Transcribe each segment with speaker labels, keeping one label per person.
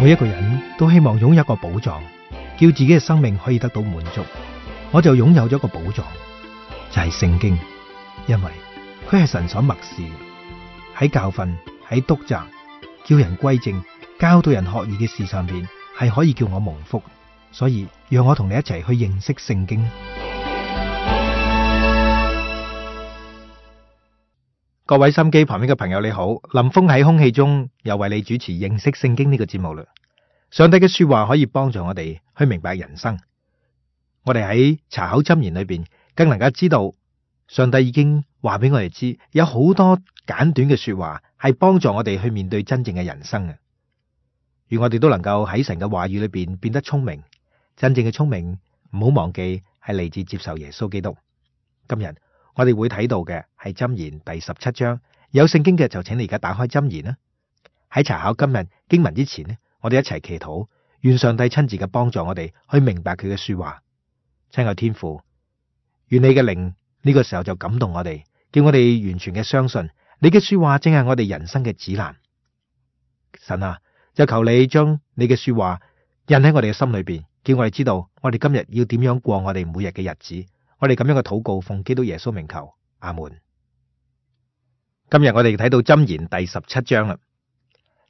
Speaker 1: 每一個人都希望擁有一個寶藏，叫自己嘅生命可以得到滿足。我就擁有咗一個寶藏，就係聖經，因為佢係神所默示，喺教訓、喺督責、叫人歸正、教導人學義嘅事上邊，係可以叫我蒙福。所以讓我同你一齊去認識聖經。各位心機旁邊嘅朋友你好，林峰喺空氣中又為你主持認識聖經呢個節目啦。上帝嘅說話可以幫助我哋去明白人生。我哋喺查考箴言裏邊，更能夠知道上帝已經話俾我哋知，有好多簡短嘅說話係幫助我哋去面對真正嘅人生嘅。願我哋都能夠喺神嘅話語裏邊變得聰明。真正嘅聰明唔好忘記係嚟自接受耶穌基督。今日我哋會睇到嘅係箴言第17章，有聖經嘅就請你而家打開箴言啦。喺查考今日經文之前呢，我哋一齊祈禱，願上帝親自嘅幫助我哋去明白佢嘅說話。親愛天父，願你嘅靈呢個時候就感動我哋，叫我哋完全嘅相信你嘅說話正係我哋人生嘅指南。神啊，就求你將你嘅說話印喺我哋嘅心裏邊，叫我哋知道我哋今日要點樣過我哋每日嘅日子。我哋咁樣嘅禱告奉基督耶穌名求，阿門。今日我哋睇到箴言第17章啦。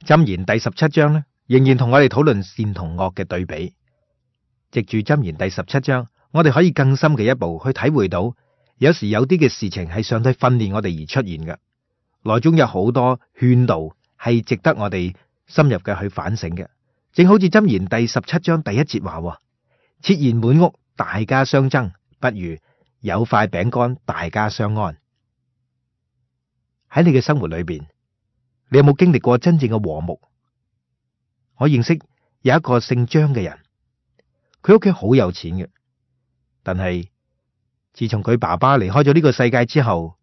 Speaker 1: 箴言第17章呢，仍然同我哋討論善同惡嘅對比。藉住箴言第17章，我哋可以更深嘅一步去體會到，有時有啲嘅事情係上帝訓練我哋而出現嘅，內中有好多勸導係值得我哋深入嘅去反省嘅。正好似箴言第17章第1節話：設筵滿屋，大家相爭，不如有塊餅乾，大家相安。喺你嘅生活裏邊，你有冇經歷過真正嘅和睦？我認識有一個姓張嘅人，佢屋企好有錢嘅，但係自從佢爸爸離開咗呢個世界之後，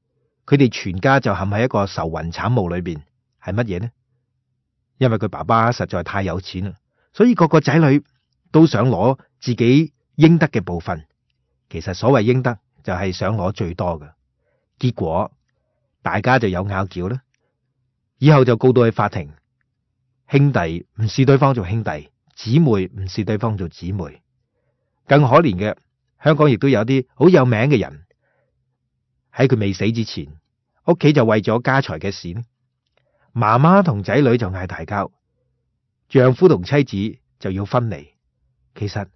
Speaker 1: 佢哋全家就陷喺一個愁雲慘霧裏邊。係乜嘢呢？因為佢爸爸實在太有錢啦，所以各個仔女都想攞自己應得嘅部分。其實所謂應得就係想攞最多嘅，結果大家就有拗撬啦。以後就告到去法庭，兄弟唔視對方做兄弟，姊妹唔視對方做姊妹。更可憐嘅，香港亦都有啲好有名嘅人，喺佢未死之前，屋企就為咗家財嘅事，媽媽同仔女就嗌大交，丈夫同妻子就要分離。其實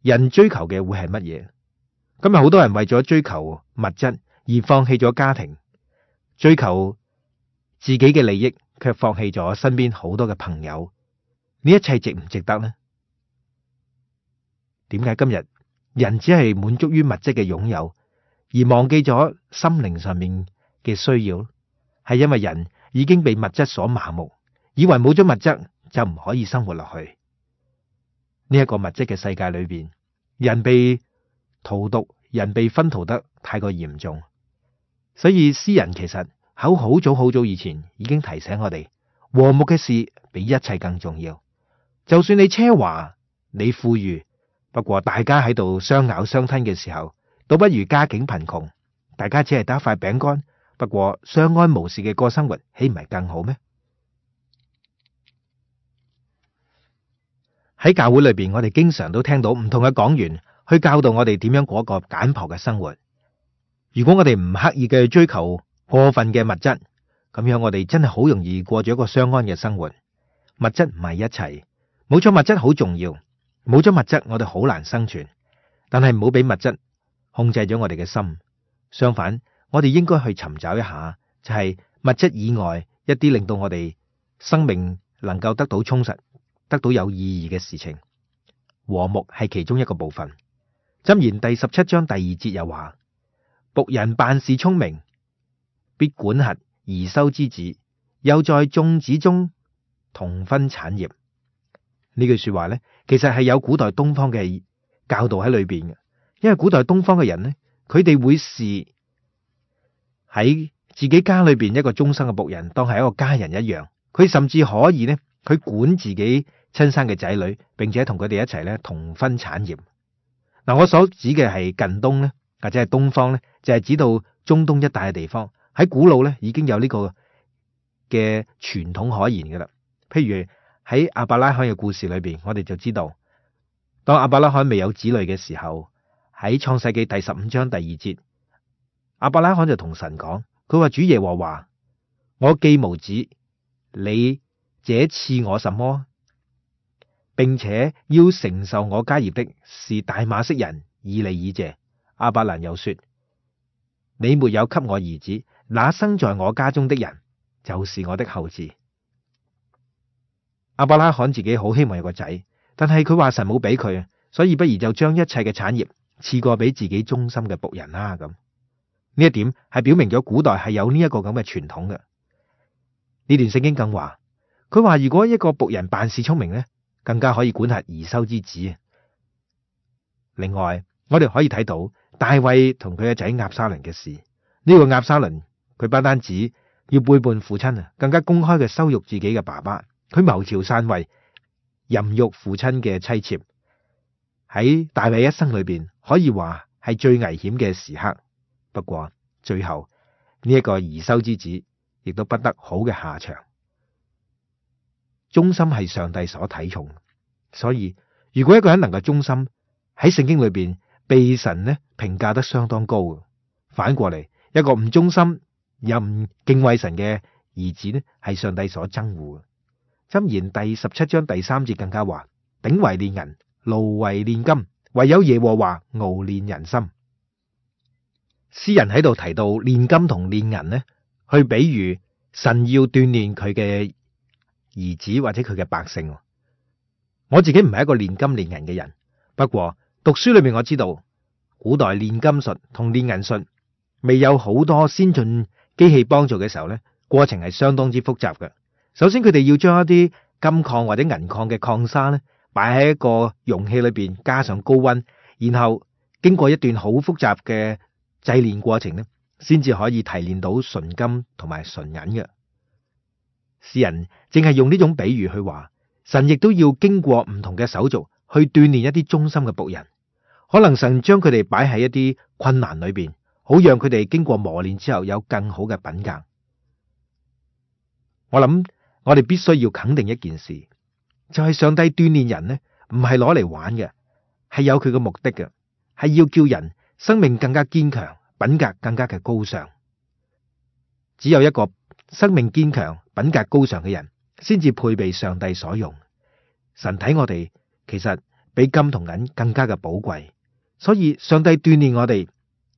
Speaker 1: 人追求嘅會係乜嘢？今日好多人為咗追求物質而放棄咗家庭，追求自己嘅利益，卻放棄咗身邊好多嘅朋友。呢一切值唔值得呢？點解今日人只係滿足於物質嘅擁有，而忘記咗心靈上面嘅需要？係因為人已經被物質所麻木，以為冇咗物質就唔可以生活落去。呢一個物質嘅世界裏邊，人被荼毒，人被熏陶得太過嚴重。所以詩人其實喺好早以前已經提醒我哋，和睦嘅事比一切更重要。就算你奢華，你富裕，不過大家喺度相咬相吞嘅時候，倒不如家境貧窮，大家只係得一塊餅乾，不過相安無事嘅過生活，豈唔係更好咩？喺教會裏邊，我哋經常都聽到唔同嘅講員去教導我哋點樣過一個簡樸嘅生活。如果我哋唔刻意嘅追求過分嘅物質，咁樣我哋真係好容易過咗一個相安嘅生活。物質唔係一切，冇咗物質好重要，冇咗物質我哋好難生存。但係唔好俾物質控制咗我哋嘅心，相反，我哋應該去尋找一下，就係物質以外一啲令到我哋生命能夠得到充實、得到有意義嘅事情。和睦係其中一個部分。箴言第17章第2節又話：僕人辦事聰明，必管轄貽羞之子，又在眾子中同分產業。呢句說話呢，其實係有古代東方嘅教導喺裏邊嘅。因為古代東方嘅人呢，佢哋會視喺自己家裏邊一個終生嘅僕人當係一個家人一樣。佢甚至可以呢，佢管自己親生嘅仔女，並且同佢哋一齊呢同分產業。嗱，我所指嘅係近東呢，或者係東方呢，就係指到中東一帶嘅地方。喺古老呢，已經有呢個嘅傳統可言噶啦。譬如喺亞伯拉罕嘅故事裏邊，我哋就知道，當亞伯拉罕未有子女嘅時候，喺創世紀第15章第2節，亞伯拉罕就同神講，佢話主耶和華，我既無子，你這賜我什麼？並且要承受我家業的是大馬色人以利以謝。亞伯蘭又說，你沒有給我兒子，那生在我家中的人就是我的後嗣。亞伯拉罕自己好希望有個仔，但係佢話神冇俾佢，所以不如就將一切嘅產業賜過俾自己忠心嘅僕人啦。咁呢一點係表明咗古代係有呢一個咁嘅傳統嘅。呢段聖經更話，佢話如果一個僕人辦事聰明呢，更加可以管轄兒修之子。另外，我哋可以睇到大衛同佢嘅仔押沙倫嘅事。呢個押沙倫佢不單止要背叛父親啊，更加公開嘅羞辱自己嘅爸爸。佢謀朝篡位，淫辱父親嘅妻妾。喺大衛一生裏邊，可以話係最危險嘅時刻。不過最後呢一個兒修之子亦都不得好嘅下場。忠心係上帝所睇重，所以如果一個人能夠忠心，喺聖經裏邊被神呢評價得相當高。反過嚟，一個唔忠心又唔敬畏神嘅兒子呢，係上帝所憎惡。箴言第17章第3節更加話，鼎為煉銀，爐為煉金，唯有耶和華熬煉人心。詩人喺度提到煉金同煉銀呢，去比喻神要鍛煉佢嘅兒子或者佢嘅百姓。我自己唔係一個煉金煉銀嘅人，不過讀書裏面我知道，古代煉金術同煉銀術未有好多先進機器幫助嘅時候呢，過程係相當之複雜嘅。首先佢哋要將一啲金礦或者銀礦嘅礦砂呢，擺喺一個容器裏邊，加上高溫，然後經過一段好複雜嘅製煉過程呢，先至可以提煉到純金同埋純銀嘅。詩人淨係用呢種比喻去話，神亦都要經過唔同嘅手續去鍛煉一啲忠心嘅僕人。可能神將佢哋擺喺一啲困難裏邊，好讓佢哋經過磨練之後有更好嘅品格。我諗我哋必須要肯定一件事，就係上帝鍛煉人呢，唔係攞嚟玩嘅，係有佢嘅目的嘅，係要叫人生命更加堅強，品格更加嘅高尚。只有一個生命堅強、品格高尚嘅人，先至配備上帝所用。神睇我哋其實比金同銀更加嘅寶貴，所以上帝鍛煉我哋，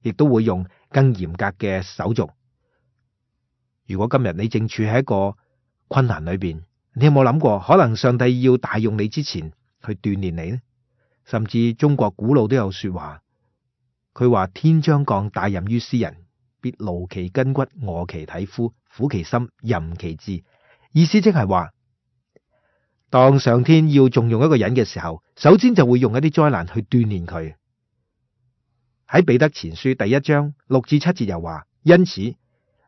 Speaker 1: 亦都會用更嚴格嘅手續。如果今日你正處喺一個困難裏邊，你有冇諗過，可能上帝要大用你之前去鍛煉你呢？甚至中國古老都有說話，佢話天將降大任於斯人，必勞其筋骨，餓其體膚，苦其心，淫其志。意思即係話，當上天要重用一個人嘅時候，首先就會用一啲災難去鍛煉佢。喺彼得前書第1章6至7節又話，因此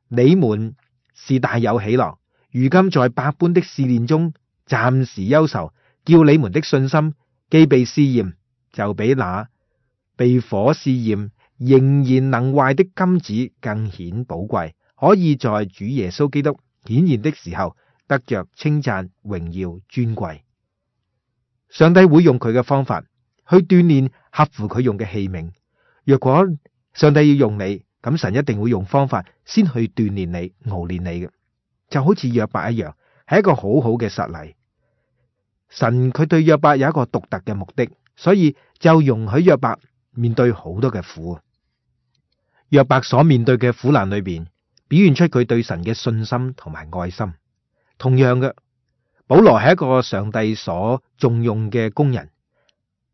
Speaker 1: 你們是大有喜樂，如今在百般的試煉中暫時憂愁，叫你們的信心既被試驗，就比那被火試驗仍然能壞的金子更顯寶貴，可以在主耶穌基督顯現的時候得着稱讚、榮耀、尊貴。上帝會用佢嘅方法去鍛煉合乎佢用嘅器皿。若果上帝要用你，咁神一定會用方法先去鍛煉你、熬煉你嘅，就好似約伯一樣，係一個好好嘅實例。神佢對約伯有一個獨特嘅目的，所以就容許約伯面對好多嘅苦。約伯所面對嘅苦難裏邊，表現出佢對神嘅信心同埋愛心。同樣嘅，保羅係一個上帝所重用嘅工人，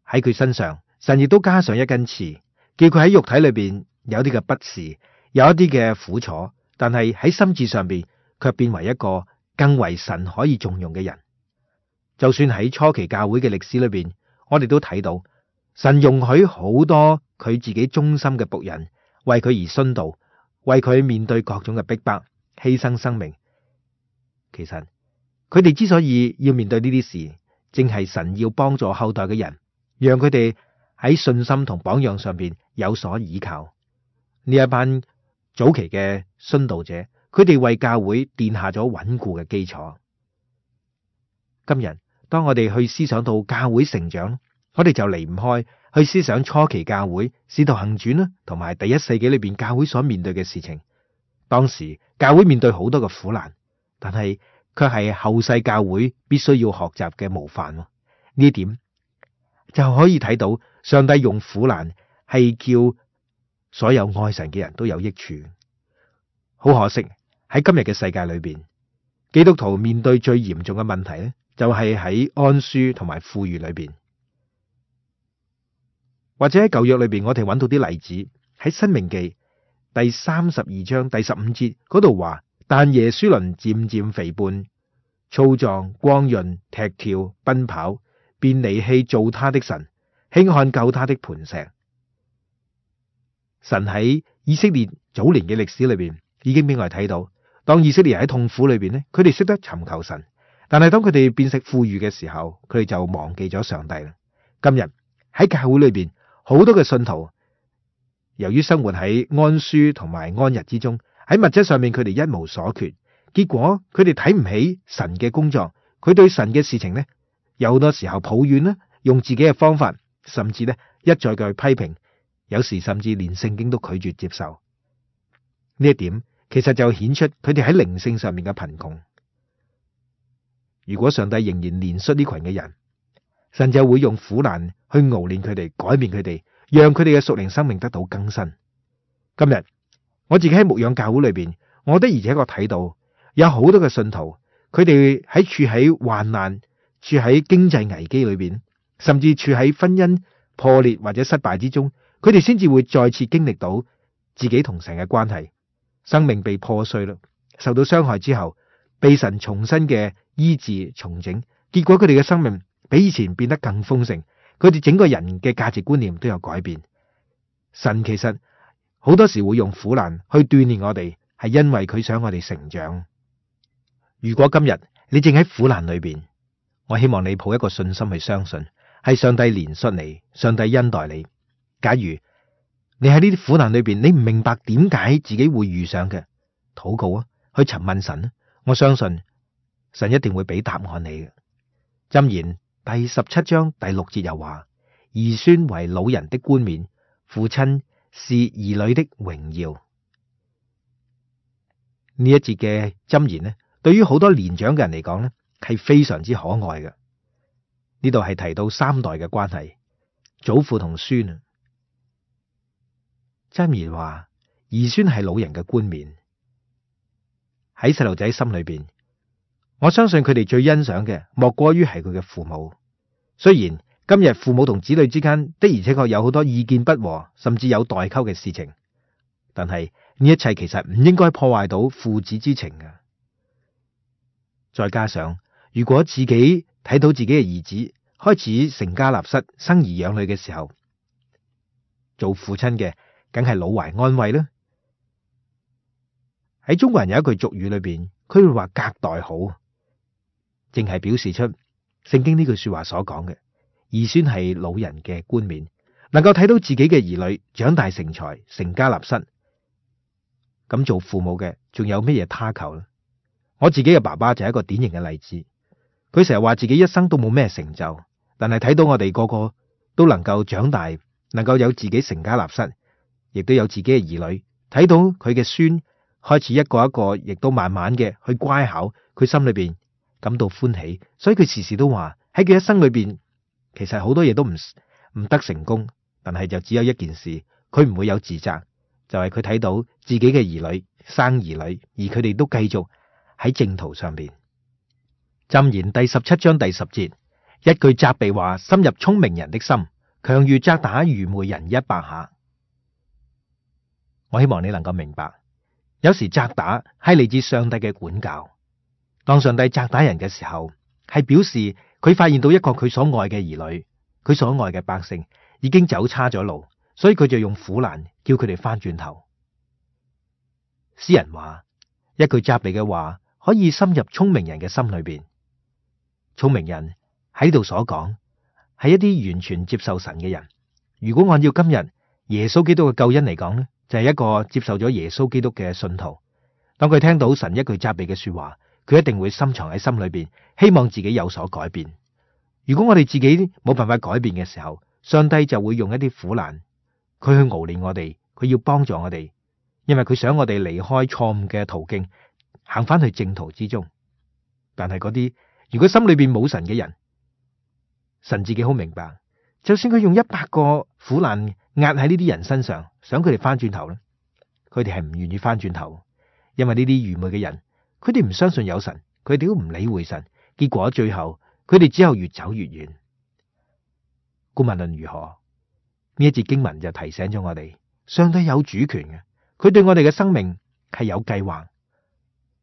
Speaker 1: 喺佢身上，神亦都加上一根刺，叫佢喺肉體裏邊有啲嘅不適，有一啲嘅苦楚，但係喺心智上邊卻變為一個更為神可以重用嘅人。就算喺初期教會嘅歷史裏邊，我哋都睇到神容許好多佢自己忠心嘅僕人為佢而殉道，為佢面對各種嘅逼迫，犧牲生命。其實佢哋之所以要面對呢啲事，正係神要幫助後代嘅人，讓佢哋喺信心同榜樣上邊有所依靠。呢一班早期嘅殉道者，佢哋為教會奠下咗穩固嘅基礎。今日當我哋去思想到教會成長，我哋就離唔開去思想初期教會使徒行傳啦，同埋第一世紀裏邊教會所面對嘅事情。當時教會面對好多嘅苦難，但係卻係後世教會必須要學習嘅模範。呢一點就可以睇到上帝用苦難係叫所有愛神嘅人都有益處。好可惜喺今日嘅世界裏邊，基督徒面對最嚴重嘅問題咧，就係喺安舒同埋富裕裏邊。或者喺舊約裏邊，我哋揾到啲例子，喺申命記第32章第15節嗰度話，但耶書崙漸漸肥胖、粗壯、光潤、踢跳、奔跑，便離棄造他的神，輕看救他的磐石。神喺以色列早年嘅歷史裏邊已經俾我哋睇到，當以色列人喺痛苦裏邊咧，佢哋識得尋求神，但係當佢哋變食富裕嘅時候，佢哋就忘記咗上帝啦。今日喺教會裏邊，好多嘅信徒由於生活喺安舒同埋安逸之中，喺物質上面佢哋一無所缺，結果佢哋睇唔起神嘅工作，佢對神嘅事情呢，有好多時候抱怨啦，用自己嘅方法，甚至呢一再嘅批評，有時甚至連聖經都拒絕接受。呢一點其實就顯出佢哋喺靈性上面嘅貧窮。如果上帝仍然憐恤呢群嘅人，神就會用苦難去熬練佢哋，改變佢哋，讓佢哋嘅屬靈生命得到更新。今日我自己喺牧養教會裏邊，我的而且確睇到有好多嘅信徒，佢哋喺處喺患難、處喺經濟危機裏邊，甚至處喺婚姻破裂或者失敗之中，佢哋先至會再次經歷到自己同神嘅關係，生命被破碎啦，受到傷害之後，被神重新嘅醫治重整，結果佢哋嘅生命比以前變得更豐盛，佢哋整個人嘅價值觀念都有改變。神其實好多時會用苦難去鍛煉我哋，係因為佢想我哋成長。如果今日你正喺苦難裏邊，我希望你抱一個信心去相信，係上帝憐恤你，上帝恩待你。假如你喺呢啲苦難裏邊，你唔明白點解自己會遇上嘅，禱告啊，去詢問神啊，我相信神一定會俾答案你嘅。箴言第17章第6節又話：兒孫為老人的冠冕，父親是兒女的榮耀。呢一節嘅箴言呢，對於好多年長嘅人嚟講呢，係非常之可愛嘅。呢度係提到3代嘅關係，祖父同孫啊。箴言話兒孫係老人嘅冠冕，喺細路仔心裏邊，我相信佢哋最欣賞嘅莫過於係佢嘅父母。雖然今日父母同子女之間的而且確有好多意見不和，甚至有代溝嘅事情，但係呢一切其實唔應該破壞到父子之情嘅。再加上如果自己睇到自己嘅兒子開始成家立室、生兒養女嘅時候，做父親嘅梗係老懷安慰啦。喺中國人有一句俗語裏邊，佢會話隔代好，淨係表示出聖經呢句說話所講嘅兒孫係老人嘅冠冕，能夠睇到自己嘅兒女長大成才、成家立室。咁做父母嘅仲有咩嘢他求呢？我自己嘅爸爸就係一個典型嘅例子。佢成日話自己一生都冇咩成就，但係睇到我哋個個都能夠長大，能夠有自己成家立室，亦都有自己嘅兒女，睇到佢嘅孫開始一個一個，亦都慢慢嘅去乖巧，佢心裏邊感到歡喜。所以佢時時都話喺佢一生裏邊，其實好多嘢都唔得成功，但係就只有一件事，佢唔會有自責，就係佢睇到自己嘅兒女生兒女，而佢哋都繼續喺正途上邊。箴言第17章第10節，一句責備話深入聰明人的心，強如責打愚昧人100下。我希望你能夠明白，有時責打係嚟自上帝嘅管教。當上帝責打人嘅時候，係表示佢發現到一個佢所愛嘅兒女，佢所愛嘅百姓已經走差咗路，所以佢就用苦難叫佢哋翻轉頭。詩人話，一句責備嘅話可以深入聰明人嘅心裏邊。聰明人喺呢度所講係一啲完全接受神嘅人。如果按照今日耶穌基督嘅救恩嚟講呢，就係一個接受咗耶穌基督嘅信徒。當佢聽到神一句責備嘅說話，佢一定會深藏喺心裏邊，希望自己有所改變。如果我哋自己冇辦法改變嘅時候，上帝就會用一啲苦難，佢去熬練我哋，佢要幫助我哋，因為佢想我哋離開錯誤嘅途徑，行翻去正途之中。但係嗰啲如果心裏邊冇神嘅人，神自己好明白，就算佢用100個苦難壓喺呢啲人身上，想佢哋翻轉頭咧，佢哋係唔願意翻轉頭，因為呢啲愚昧嘅人，佢哋唔相信有神，佢哋都唔理會神，結果最後佢哋只有越走越遠。無論如何，呢一節經文就提醒咗我哋，上帝有主權嘅，佢對我哋嘅生命係有計劃。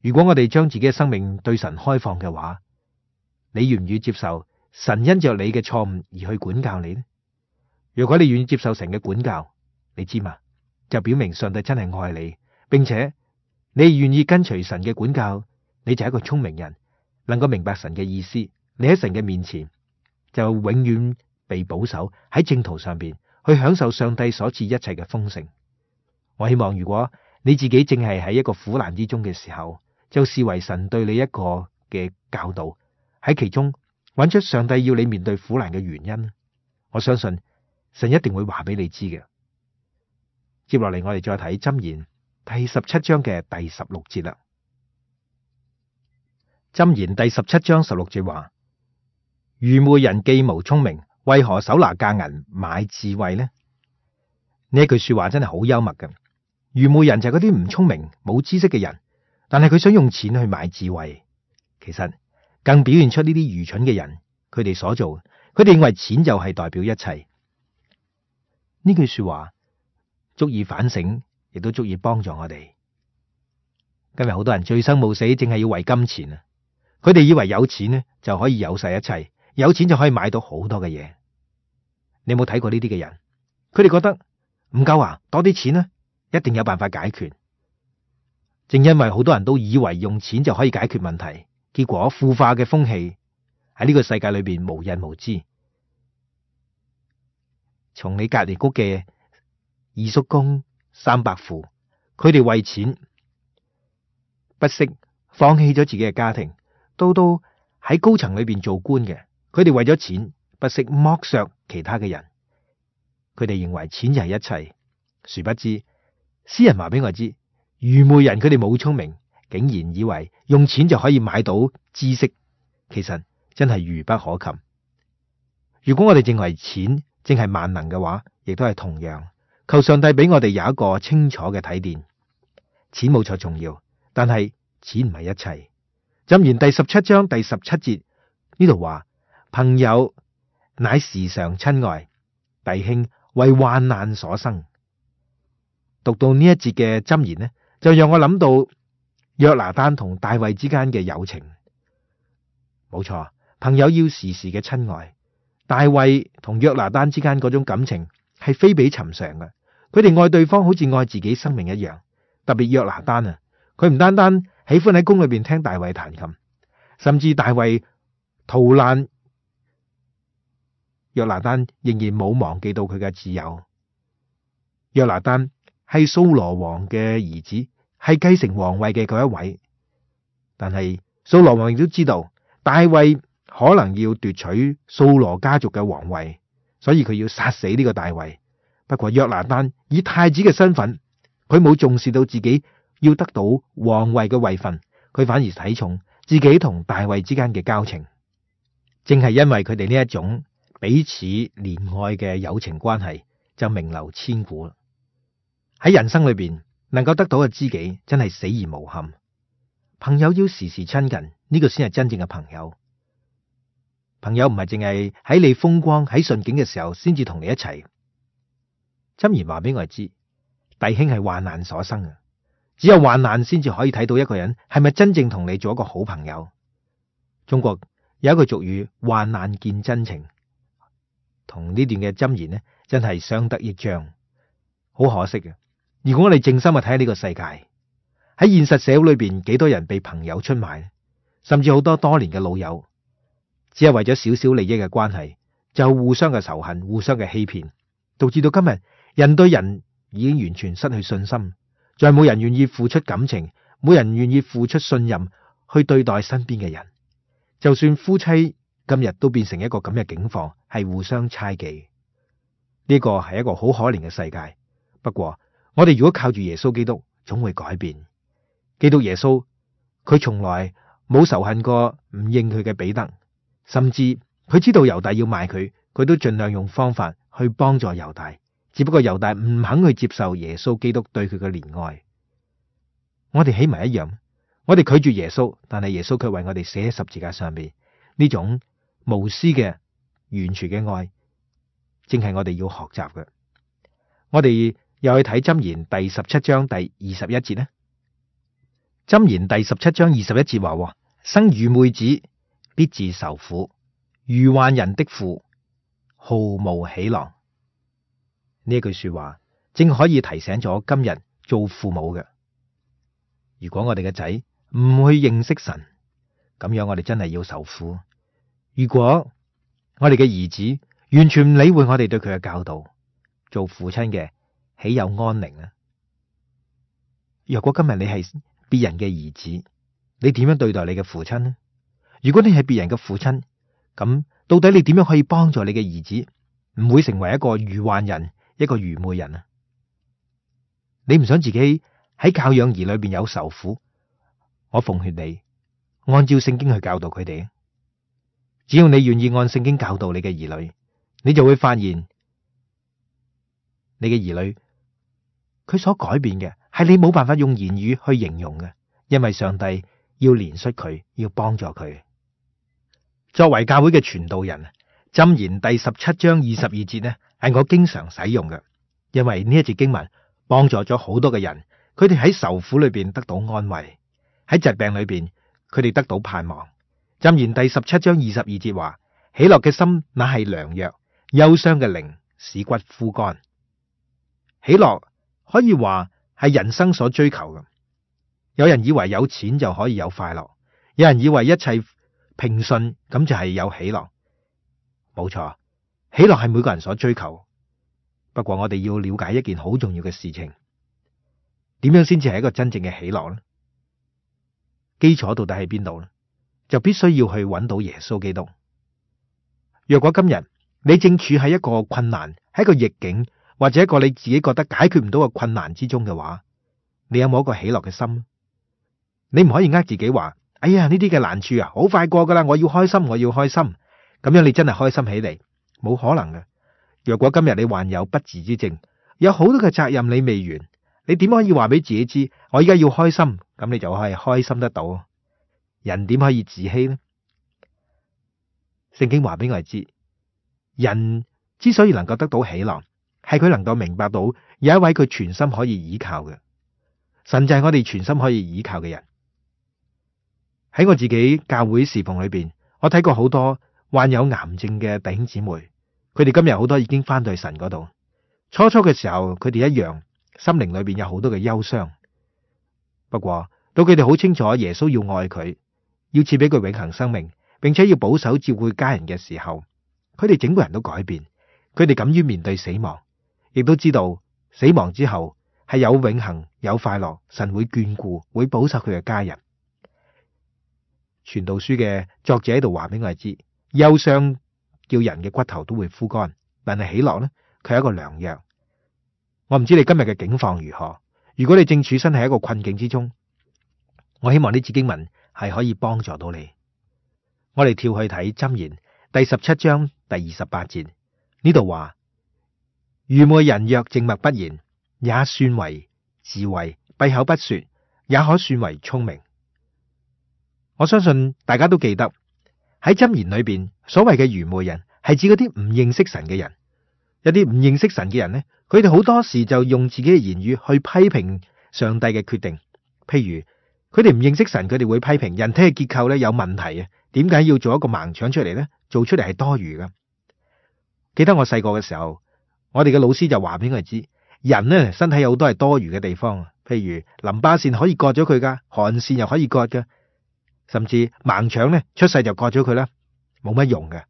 Speaker 1: 如果我哋將自己嘅生命對神開放嘅話，你願唔願意接受神因着你嘅錯誤而去管教你呢？如果你願意接受神嘅管教，你知嘛？就表明上帝真係愛你，並且你願意跟隨神嘅管教，你就係一個聰明人，能夠明白神嘅意思。你喺神嘅面前就永遠被保守喺正途上邊，去享受上帝所賜一切嘅豐盛。我希望如果你自己正係喺一個苦難之中嘅時候，就視為神對你一個嘅教導，喺其中揾出上帝要你面對苦難嘅原因。我相信神一定會話俾你知嘅。接落嚟我哋再睇箴言第17章嘅第16節啦。箴言第17章16節話：愚昧人既無聰明，為何手拿價銀買智慧呢？呢一句說話真係好幽默嘅。愚昧人就係嗰啲唔聰明、冇知識嘅人，但係佢想用錢去買智慧。其實更表現出呢啲愚蠢嘅人，佢哋所做，佢哋認為錢就係代表一切。呢句說話足以反省，亦都足以幫助我哋。今日好多人醉生夢死，淨係要為金錢啊！佢哋以為有錢呢就可以有晒一切，有錢就可以買到好多嘅嘢。你有冇睇過呢啲嘅人？佢哋覺得唔夠啊，多啲錢呢，一定有辦法解決。正因為好多人都以為用錢就可以解決問題，結果腐化嘅風氣喺呢個世界裏邊無人無知。從你隔籬屋嘅二叔公、三伯父，佢哋為錢不惜放棄咗自己嘅家庭，到喺高層裏邊做官嘅，佢哋為咗錢不惜剝削其他嘅人。佢哋認為錢就係一切，殊不知詩人話俾我知，愚昧人佢哋冇聰明，竟然以為用錢就可以買到知識，其實真係愚不可及。如果我哋認為錢正係萬能嘅話，亦都係同樣。求上帝俾我哋有一個清楚嘅睇見，錢冇錯重要，但係錢唔係一切。箴言第17章第17節呢度話：朋友乃時常親愛，弟兄為患難所生。讀到呢一節嘅箴言呢，就讓我諗到約拿單同大衛之間嘅友情。冇錯，朋友要時時嘅親愛。大衛同約拿單之間嗰種感情係非比尋常嘅，佢哋愛對方好似愛自己生命一樣。特別約拿單啊，佢唔單單喜歡喺宮裏邊聽大衛彈琴，甚至大衛逃難，約拿單仍然冇忘記到佢嘅摯友。約拿單係掃羅王嘅兒子，係繼承皇位嘅嗰一位，但係掃羅王亦都知道大衛可能要奪取掃羅家族嘅皇位，所以佢要殺死呢個大衛。不過約拿單以太子嘅身份，佢冇重視到自己要得到皇位嘅位份，佢反而睇重自己同大衛之間嘅交情。正係因為佢哋呢一種彼此憐愛嘅友情關係，就名留千古啦。喺人生裏邊，能夠得到嘅知己真係死而無憾。朋友要時時親近，呢個先係真正嘅朋友。朋友唔係淨係喺你風光喺順境嘅時候先至同你一齊。箴言話俾我哋知，弟兄係患難所生啊！只有患難先至可以睇到一個人係咪真正同你做一個好朋友。中國有一句俗語，患難見真情，同呢段嘅箴言呢，真係相得益彰。好可惜嘅，如果我哋靜心去睇下呢個世界，喺現實社會裏邊，幾多人被朋友出賣，甚至好多年嘅老友，只係為咗少少利益嘅關係，就互相嘅仇恨、互相嘅欺騙，導致到今日人對人已經完全失去信心，再冇人願意付出感情，冇人願意付出信任去對待身邊嘅人。就算夫妻今日都變成一個咁嘅境況，係互相猜忌。呢個係一個好可憐嘅世界。不過我哋如果靠住耶穌基督，總會改變。基督耶穌佢從來冇仇恨過唔認佢嘅彼得，甚至佢知道猶大要賣佢，佢都盡量用方法去幫助猶大。只不過猶大唔肯去接受耶穌基督對佢嘅憐愛。我哋起埋一樣，我哋拒絕耶穌，但係耶穌卻為我哋死喺十字架上面。呢種無私嘅完全嘅愛，正係我哋要學習嘅。我哋又去睇箴言第17章第21節呢。箴言第17章21節話：生愚昧子必自受苦，愚頑人的父毫無喜樂。呢句說話正可以提醒咗今日做父母嘅，如果我哋嘅仔唔去認識神，咁樣我哋真係要受苦。如果我哋嘅兒子完全唔理會我哋對佢嘅教導，做父親嘅豈有安寧啊？若果今日你係別人嘅兒子，你點樣對待你嘅父親呢？如果你係別人嘅父親，咁到底你點樣可以幫助你嘅兒子唔會成為一個愚頑人，一個愚昧人啊？你唔想自己喺教養兒裏邊有受苦，我奉勸你按照聖經去教導佢哋。只要你願意按聖經教導你嘅兒女，你就會發現你嘅兒女佢所改變嘅係你冇辦法用言語去形容嘅，因為上帝要憐恤佢，要幫助佢。作為教會嘅傳道人，箴言第17章22節呢，係我經常使用嘅，因為呢一節經文幫助咗好多嘅人，佢哋喺受苦裏邊得到安慰，喺疾病裏邊佢哋得到盼望。箴言第17章22節話：喜樂嘅心乃係良藥，憂傷嘅靈使骨枯乾。喜樂可以話係人生所追求嘅。有人以為有錢就可以有快樂，有人以為一切平順咁就係有喜樂。冇錯，喜樂係每個人所追求。不過我哋要了解一件好重要嘅事情，點樣先至係一個真正嘅喜樂呢？基礎到底喺邊度呢？就必須要去揾到耶穌基督。若果今日你正處喺一個困難，喺一個逆境，或者一個你自己覺得解決唔到嘅困難之中嘅話，你有冇一個喜樂嘅心？你唔可以自己話：哎呀，呢啲嘅難處啊，好快過噶啦，我要開心，我要開心。咁樣你真係開心起嚟，冇可能嘅。若果今日你患有不治之症，有好多嘅責任你未完，你點可以話俾自己知我而家要開心？咁你就可以開心得到。人點可以自欺呢？聖經話俾我哋知，人之所以能夠得到喜樂，係佢能夠明白到有一位佢全心可以倚靠嘅神，就係我哋全心可以倚靠嘅人。喺我自己教會侍奉裏邊，我睇過好多患有癌症嘅弟兄姊妹，佢哋今日好多已經翻到去神嗰度。初初嘅時候，佢哋一樣心靈裏邊有好多嘅憂傷。不過到佢哋好清楚耶穌要愛佢，要賜俾佢永恆生命，並且要保守照顧家人嘅時候，佢哋整個人都改變。佢哋敢於面對死亡，亦都知道死亡之後係有永恆、有快樂，神會眷顧，會保守佢嘅家人。傳道書嘅作者喺度話俾我哋知，憂傷叫人嘅骨頭都會枯乾，但係喜樂呢，佢係一個良藥。我唔知你今日嘅境況如何，如果你正處身喺一個困境之中，我希望呢節經文係可以幫助到你。我哋跳去睇箴言第17章第28節，呢度話：愚昧人若靜默不言，也算為智慧；閉口不說，也可算為聰明。我相信大家都記得喺箴言裏邊，所謂嘅愚昧人係指嗰啲唔認識神嘅人。一啲唔認識神嘅人呢，佢哋好多時就用自己嘅言語去批評上帝嘅決定。譬如佢哋唔認識神，佢哋會批評人體嘅結構咧有問題啊，點解要做一個盲腸出嚟呢？做出嚟係多餘噶。記得我細個嘅時候，我哋嘅老師就話俾我哋知，人呢身體有好多係多餘嘅地方，譬如淋巴腺可以割咗佢噶，汗腺又可以割噶。甚至盲腸咧出世就割咗佢啦，冇乜用嘅。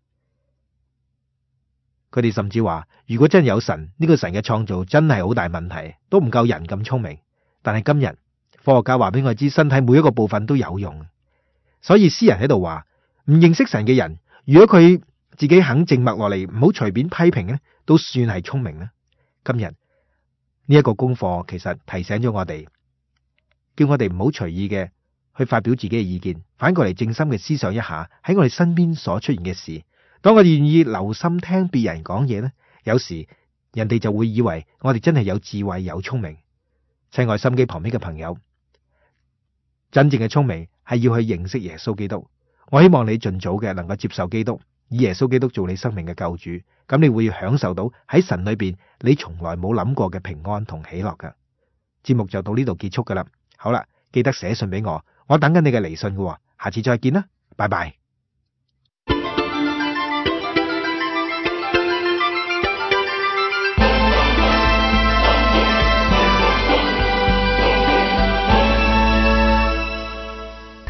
Speaker 1: 佢哋甚至話，如果真係有神，呢個神嘅創造真係好大問題，都唔夠人咁聰明。但係今日科學家話俾我知，身體每一個部分都有用。所以詩人喺度話，唔認識神嘅人，如果佢自己肯靜默落嚟，唔好隨便批評咧，都算係聰明啦。今日呢一個功課其實提醒咗我哋，叫我哋唔好隨意嘅去發表自己嘅意見，反過嚟靜心嘅思想一下喺我哋身邊所出現嘅事。當我哋願意留心聽別人講嘢咧，有時人哋就會以為我哋真係有智慧有聰明。親愛心機旁邊嘅朋友，真正嘅聰明係要去認識耶穌基督。我希望你盡早嘅能夠接受基督，以耶穌基督做你生命嘅救主，咁你會享受到喺神裏邊你從來冇諗過嘅平安同喜樂噶。節目就到呢度結束噶啦。好啦，記得寫信俾我，我等緊你嘅嚟信噶。下次再見啦，拜拜。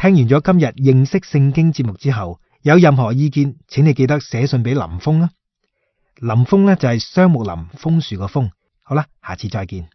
Speaker 1: 聽完咗今日認識聖經節目之後，有任何意見，請你記得寫信俾林峰啦。林峰呢就係雙木林，楓樹個楓。好啦，下次再見。